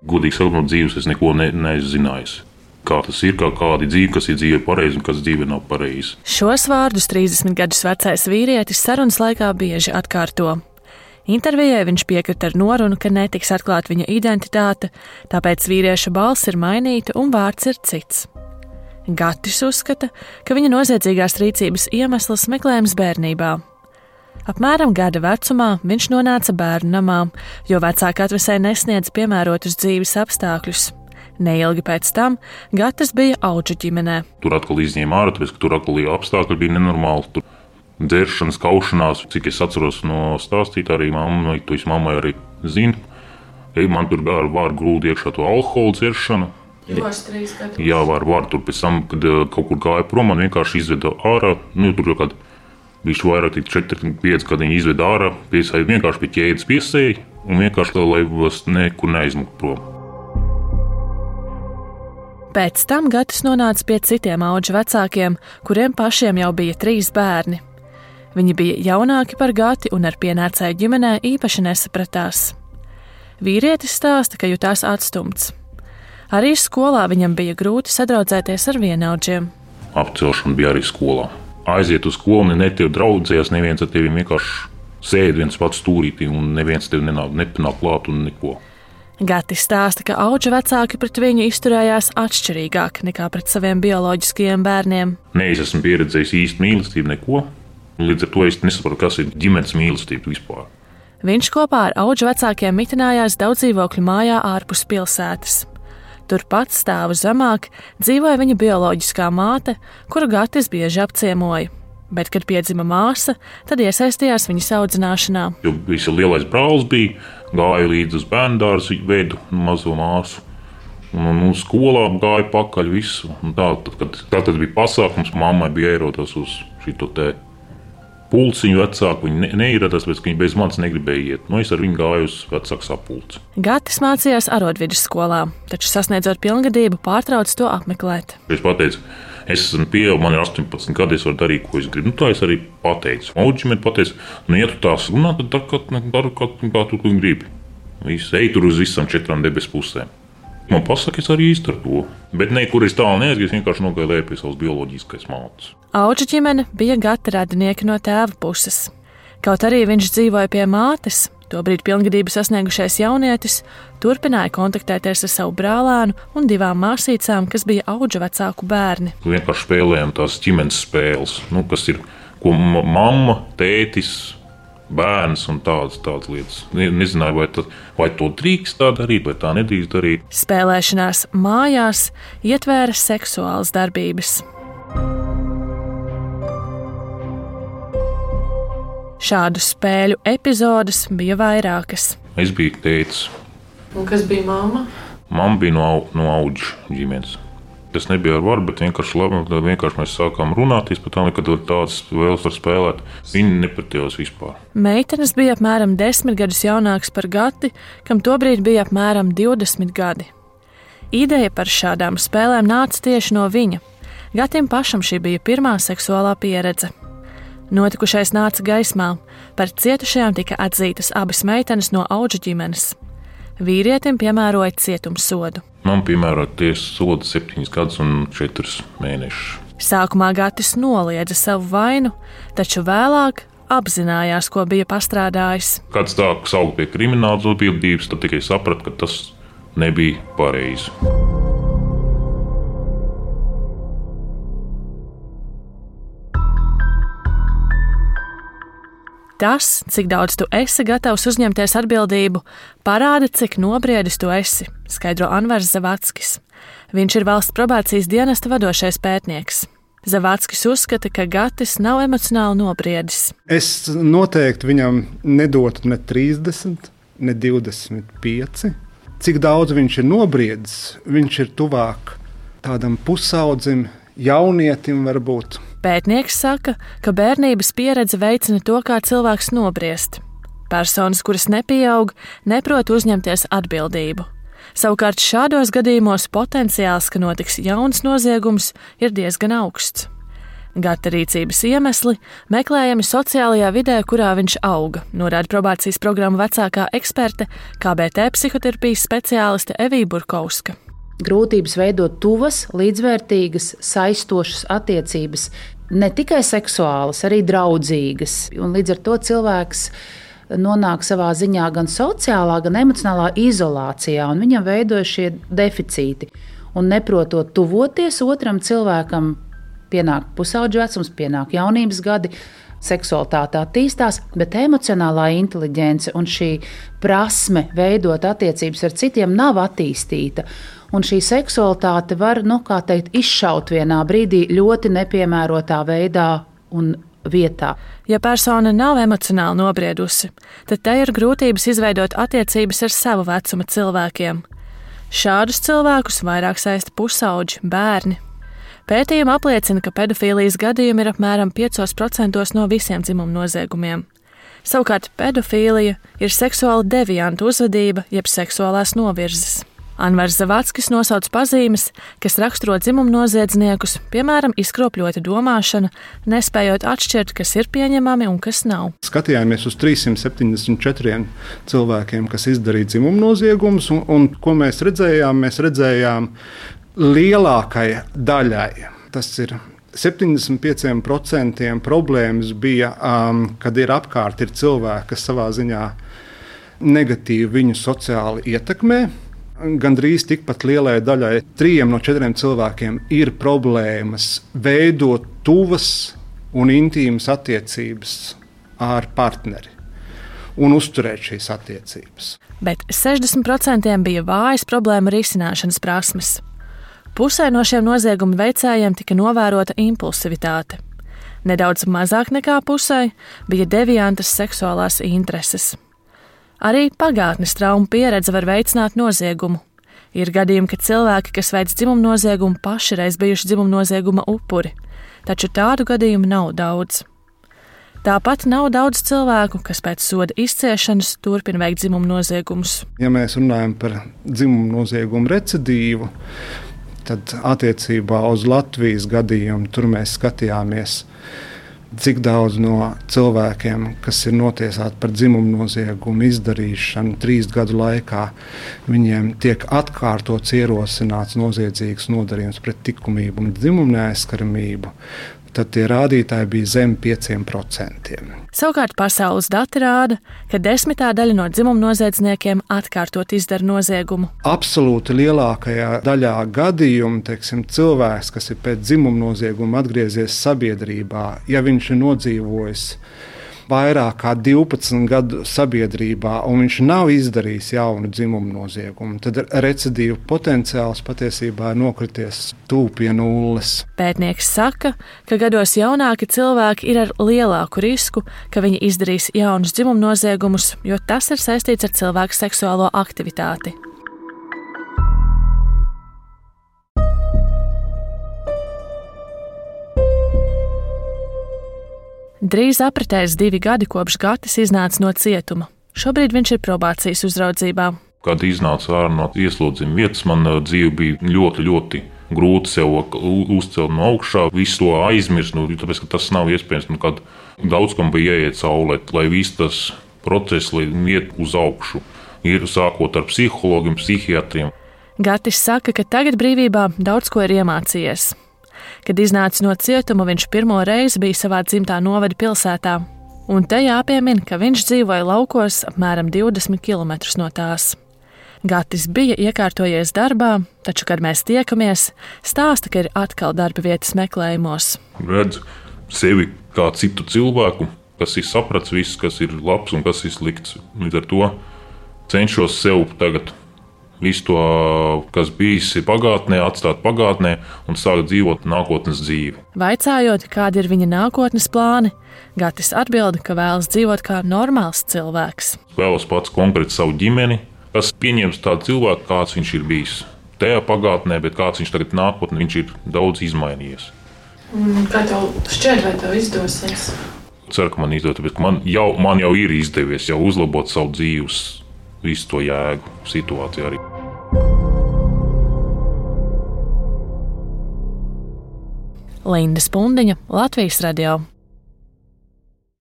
Godīgi sakot, no dzīves es neko neesmu zinājis. Kā tas ir, kāda ir dzīve, kas ir dzīve pareizi un kas dzīve nav pareizi. Šos vārdus 30 gadus vecais vīrietis sarunas laikā bieži atkārto. Intervijai viņš piekrita ar norunu, ka netiks atklāt viņa identitāte, tāpēc vīrieša balss ir mainīta un vārds ir cits. Gatis uzskata, ka viņa noziedzīgās rīcības iemesls meklējams bērnībā. Apmēram gada vecumā viņš nonāca bērnu namā, jo vecāki atvesēji nesniedz piemērotus dzīves apstākļus. Neilgi pēc tam Gatis bija Audžu ģimenē. Tur atkal izņēma ārā, tāpēc, ka tur atkal apstākļi bija nenormāli. Tur dzeršanas, kaušanās, cik es atceros no stāstīt, arī mammai, to es mammai arī zinu. Man tur var grūti iekšā to alkoholu dzeršanu. Jā, var tur pēc tam, kad kaut kur gāja prom, man vienkārši izveda ārā. Tur jau kad viņš vairāk 4-5 gadi izveda ārā, vienkārši pie ķēdes piesēja un vienkārši, lai nekur neaizmukt prom. Pēc tam Gatis nonāca pie citiem Audžu vecākiem, kuriem pašiem jau bija 3 bērni. Viņi bija jaunāki par Gati un ar pienācēju ģimenē īpaši nesapratās. Vīrietis stāsta, ka jutās atstumts. Arī skolā viņam bija grūti sadraudzēties ar vienaudžiem. Apcelšana bija arī skolā. Aiziet uz skolu, netev draudzējās, neviens ar tevi vienkārši sēd viens pats stūrītī un neviens tev nepanāk klāt un neko. Gatis stāsta, ka Audžu vecāki pret viņu izturējās atšķirīgāk nekā pret saviem bioloģiskajiem bērniem. Es esmu pieredzējis īstu mīlestību, neko. Līdz ar to es nesaprotu, kas ir ģimenes mīlestība vispār. Viņš kopā ar Audžu vecākiem mitinājās daudzdzīvokļu mājā ārpus pilsētas. Turpat stāvu zemāk dzīvoja viņa bioloģiskā māte, kuru Gatis bieži apciemoja. Bet, kad piedzima māsa, tad iesaistījās viņas audzināšanā. Jo visi lielais brālis bija, gāja līdz uz bērndārzu, vedu mazo māsu. Un skolā gāja pakaļ visu. Tad bija pasākums, mammai bija ierodas uz šito te pulciņu vecāku. Viņi neieradās, tāpēc, ka viņi bez manis negribēja iet. Es ar viņu gāju uz vecāku sapulci. Gatis mācījās arodvidusskolā, taču sasniedzot pilngadību pārtrauc to apmeklēt. Es pateicu, es esmu pieaugusi, man ir 18 gadi, es varu darīt, ko es gribu. Tā es arī pateicu. Audžiem pateicu, ja tu tās runā, tad dari, kā tu gribi. Ej tur uz visam 4 debesu pusēm. Man pasaka, es arī izdaru to. Bet nekur es tālu neaizgāju, es vienkārši nogāju lēr pie savas bioloģiskais mātes. Audžu ģimene bija Gata radinieki no tēva puses. Kaut arī viņš dzīvoja pie mātes, tobrīd pilngadību sasniegušais jaunietis turpināja kontaktēties ar savu brālēnu un 2 māsīcām, kas bija Audžu vecāku bērni. Vienkārši spēlējām tās ģimenes spēles, kas ir, ko mamma, tētis, bērns un tādas lietas. Nezināju, vai to drīkst tā darīt, vai tā nedrīkst darīt. Spēlēšanās mājās ietvēra seksuālas darbības. Šādu spēļu epizodes bija vairākas. Es biju tētis. Un kas bija mamma? Mamma bija no Audžu ģimenes. Tas nebija ar varu, bet vienkārši mēs sākām runāties par tām, kad tādas vēlas var spēlēt. Viņi nepratījās vispār. Meitenes bija apmēram 10 gadus jaunākas par Gati, kam tobrīd bija apmēram 20 gadi. Ideja par šādām spēlēm nāca tieši no viņa. Gatim pašam šī bija pirmā seksuālā pieredze. Notikušais nāca gaismā. Par cietušajām tika atzītas abas meitenes no Audžu ģimenes. Vīrietim piemēroja cietumsodu. Man piemēroja tiesas sodu 7 gadus un 4 mēnešus. Sākumā Gatis noliedza savu vainu, taču vēlāk apzinājās, ko bija pastrādājis. Kad stāku saukt pie kriminālas atbildības, tad tikai sapratu, ka tas nebija pareizi. Tas, cik daudz tu esi gatavs uzņemties atbildību, parāda, cik nobriedis tu esi, skaidro Anvars Zavackis. Viņš ir valsts probācijas dienesta vadošais pētnieks. Zavackis uzskata, ka Gatis nav emocionāli nobriedis. Es noteikti viņam nedotu ne 30, ne 25. Cik daudz viņš ir nobriedis, viņš ir tuvāk tādam pusaudzim, jaunietim varbūt. Pētnieks saka, ka bērnības pieredze veicina to, kā cilvēks nobriest. Personas, kuras nepieaug, neprot uzņemties atbildību. Savukārt šādos gadījumos potenciāls, ka notiks jauns noziegums, ir diezgan augsts. Gata rīcības iemesli meklējami sociālajā vidē, kurā viņš auga, norāda probācijas programmu vecākā eksperte, KBT psihoterapijas speciāliste Evija Burkovska. Grūtības veidot tuvas, līdzvērtīgas, saistošas attiecības, ne tikai seksuālas, arī draudzīgas. Un līdz ar to cilvēks nonāk savā ziņā gan sociālā, gan emocionālā izolācijā, un viņam veidojas šie deficīti. Un neprotot tuvoties otram cilvēkam, pienāk pusauģu vecums, pienāk jaunības gadi, seksualitāte attīstās, bet emocionālā inteliģence un šī prasme veidot attiecības ar citiem nav attīstīta. Un šī seksualitāte var, izšaut vienā brīdī ļoti nepiemērotā veidā un vietā. Ja persona nav emocionāli nobriedusi, tad te ir grūtības izveidot attiecības ar savu vecuma cilvēkiem. Šādus cilvēkus vairāk saista pusauģi, bērni. Pētījumi apliecina, ka pedofīlijas gadījumi ir apmēram 5% no visiem dzimuma noziegumiem. Savukārt pedofīlija ir seksuāli devianta uzvedība, jeb seksuālās novirzes. Anvars Zavackis nosauc pazīmes, kas raksturo dzimuma noziedzniekus, piemēram, izkropļota domāšana, nespējot atšķirt, kas ir pieņemami un kas nav. Skatījāmies uz 374 cilvēkiem, kas izdarīja dzimuma noziegumus, un ko mēs redzējām? Mēs redzējām lielākai daļai. Tas ir 75% problēmas bija, kad ir apkārt ir cilvēki, kas savā ziņā negatīvi viņu sociāli ietekmē. Gandrīz tikpat lielai daļai, 3 no 4 cilvēkiem, ir problēmas veidot tuvas un intīmas attiecības ar partneri un uzturēt šīs attiecības. Bet 60% bija vājas problēma risināšanas prasmes. Pusē no šiem noziegumu veicējiem tika novērota impulsivitāte. Nedaudz mazāk nekā pusē bija deviantas seksuālās intereses. Arī pagātnes traumu pieredze var veicināt noziegumu. Ir gadījumi, ka cilvēki, kas veic dzimuma noziegumu, paši reiz bijuši dzimuma nozieguma upuri, taču tādu gadījumu nav daudz. Tāpat nav daudz cilvēku, kas pēc soda izciešanas turpina veikt dzimuma noziegumus. Ja mēs runājam par dzimuma noziegumu recidīvu, tad attiecībā uz Latvijas gadījumu tur mēs skatījāmies, cik daudz no cilvēkiem, kas ir notiesāti par dzimumu noziegumu izdarīšanu 3 gadu laikā, viņiem tiek atkārtots ierosināts noziedzīgs nodarījums pret likumību un dzimumu neaizskaramību, tad tie rādītāji bija zem 5%. Savukārt pasaules dati rāda, ka 10. daļa no dzimuma noziedzniekiem atkārtot izdara noziegumu. Absolūti lielākajā daļā gadījumu, cilvēks, kas ir pēc dzimuma nozieguma atgriezies sabiedrībā, ja viņš ir nodzīvojis vairāk kā 12 gadu sabiedrībā un viņš nav izdarījis jaunu dzimumu noziegumu, tad recidīvu potenciāls patiesībā ir nokrities tuvu pie nulles. Pētnieks saka, ka gados jaunāki cilvēki ir ar lielāku risku, ka viņi izdarīs jaunus dzimumu noziegumus, jo tas ir saistīts ar cilvēku seksuālo aktivitāti. Drīz apritēs 2 gadi, kopš Gatis iznāca no cietuma. Šobrīd viņš ir probācijas uzraudzībā. Kad iznāca ārā no ieslodzījuma vietas, man dzīve bija ļoti, ļoti grūti sev uzcelt no augšā, visu to aizmirst, tāpēc, ka tas nav iespējams. Kad daudz kam bija jāiet cauri, lai viss tas process iet uz augšu, ir sākot ar psihologiem, psihiatriem. Gatis saka, ka tagad brīvībā daudz ko ir iemācījies. Kad iznāca no cietuma, viņš pirmo reizi bija savā dzimtā novada pilsētā. Un te jāpiemina, ka viņš dzīvoja laukos apmēram 20 km no tās. Gatis bija iekārtojies darbā, taču, kad mēs tiekamies, stāsta, ka ir atkal darba vietas meklējumos. Redzu sevi kā citu cilvēku, kas ir sapratis viss, kas ir labs un kas ir slikts. Līdz ar to cenšos sev tagad visu to, kas bijis pagātnē, atstāt pagātnē un sākt dzīvot nākotnes dzīvi. Vaicājot, kādi ir viņa nākotnes plāni, Gatis atbild, ka vēlas dzīvot kā normāls cilvēks. Vēlos pats konkrēti savu ģimeni, kas pieņems tādu cilvēku, kāds viņš ir bijis. Tajā pagātnē, bet kāds viņš tagad nākotnē, viņš ir daudz izmainījies. Kā tev šķiet, vai tev izdosies? Ceru, ka man izdosies, bet man jau ir izdevies jau uzlabot savu dzīves visu to jēgu situāciju arī. Linda Spundiņa, Latvijas radio.